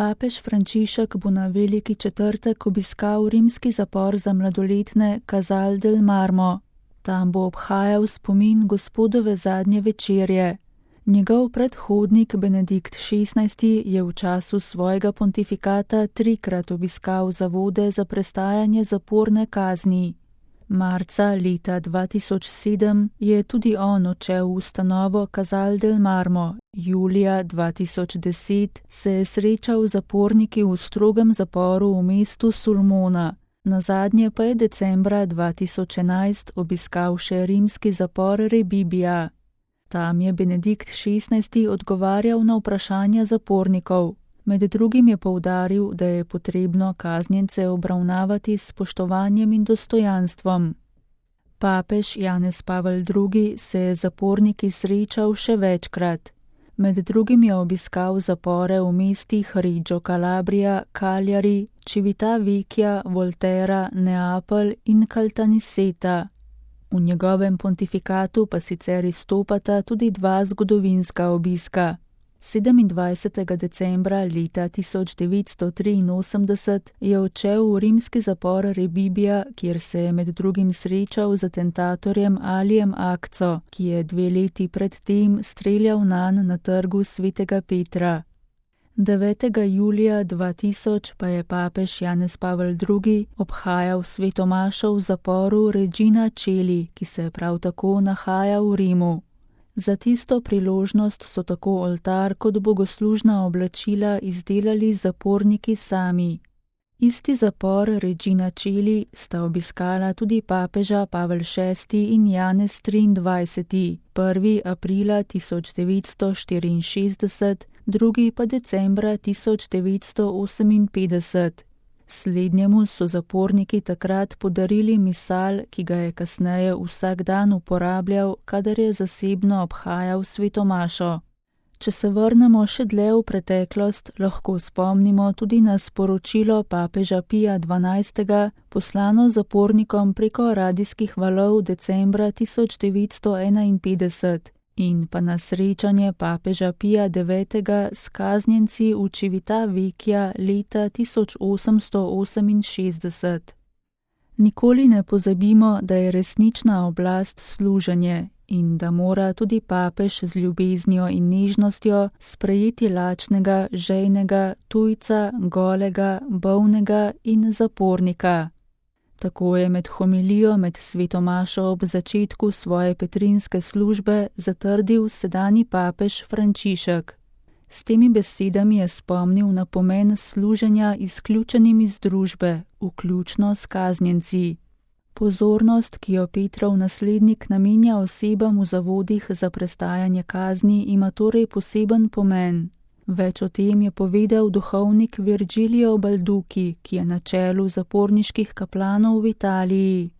Papež Frančišek bo na veliki četrtek obiskal rimski zapor za mladoletne Casal del Marmo. Tam bo obhajal spomin Gospodove zadnje večerje. Njegov predhodnik Benedikt XVI je v času svojega pontifikata 3-krat obiskal zavode za prestajanje zaporne kazni. Marca leta 2007 je tudi on odšel v ustanovo Casal del Marmo. Julija 2010 se je srečal z zaporniki v strogem zaporu v mestu Sulmona. Nazadnje pa je decembra 2011 obiskal še rimski zapor Rebibbia. Tam je Benedikt XVI odgovarjal na vprašanja zapornikov. Med drugim je poudaril, da je potrebno kaznjence obravnavati s spoštovanjem in dostojanstvom. Papež Janez Pavel II se je z zaporniki srečal še večkrat. Med drugim je obiskal zapore v mestih Reggio Calabria, Cagliari, Civitavecchia, Volterra, Neapelj in Caltanissetta. V njegovem pontifikatu pa sicer izstopata tudi 2 zgodovinska obiska. 27. decembra leta 1983 je odšel v rimski zapor Rebibbia, kjer se je med drugim srečal z atentatorjem Alijem Akco, ki je 2 leti predtem streljal nanj na trgu Svetega Petra. 9. julija 2000 pa je papež Janez Pavel II obhajal sveto mašo v zaporu Regina Coeli, ki se prav tako nahaja v Rimu. Za tisto priložnost so tako oltar kot bogoslužna oblačila izdelali zaporniki sami. Isti zapor Regina Coeli sta obiskala tudi papeža Pavel VI in Janez XXIII, 1. aprila 1964, 2. pa decembra 1958. Slednjemu so zaporniki takrat podarili misal, ki ga je kasneje vsak dan uporabljal, kadar je zasebno obhajal sveto mašo. Če se vrnemo še dlje v preteklost, lahko spomnimo tudi na sporočilo papeža Pija XII, poslano zapornikom preko radijskih valov decembra 1951 in pa na srečanje papeža Pija IX s kaznjenci v Civitavecchia leta 1868. Nikoli ne pozabimo, da je resnična oblast služenje in da mora tudi papež z ljubeznijo in nežnostjo sprejeti lačnega, žejnega, tujca, golega, bolnega in zapornika. Tako je med homilijo med sveto mašo ob začetku svoje petrinske službe zatrdil sedanji papež Frančišek. S temi besedami je spomnil na pomen služenja izključenim iz družbe, vključno s kaznjenci. Pozornost, ki jo Petrov naslednik namenja osebam v zavodih za prestajanje kazni, ima torej poseben pomen. Več o tem je povedal duhovnik Virgilio Balducci, ki je na čelu zaporniških kaplanov v Italiji.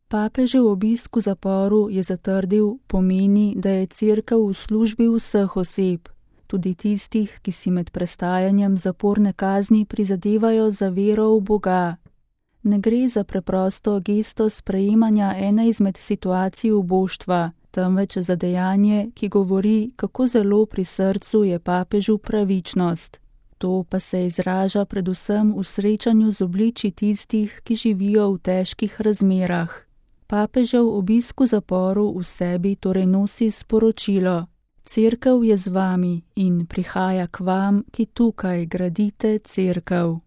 Papežev obisk v zaporu je zatrdil, pomeni, da je cerkev v službi vseh oseb, tudi tistih, ki si med prestajanjem zaporne kazni prizadevajo za vero v Boga. Ne gre za preprosto gesto sprejemanja ene izmed situacij uboštva, temveč za dejanje, ki govori, kako zelo pri srcu je papežu pravičnost. To pa se izraža predvsem v srečanju z obliči tistih, ki živijo v težkih razmerah. Papežev obisk v zaporu v sebi torej nosi sporočilo: Cerkev je z vami in prihaja k vam, ki tukaj gradite cerkev.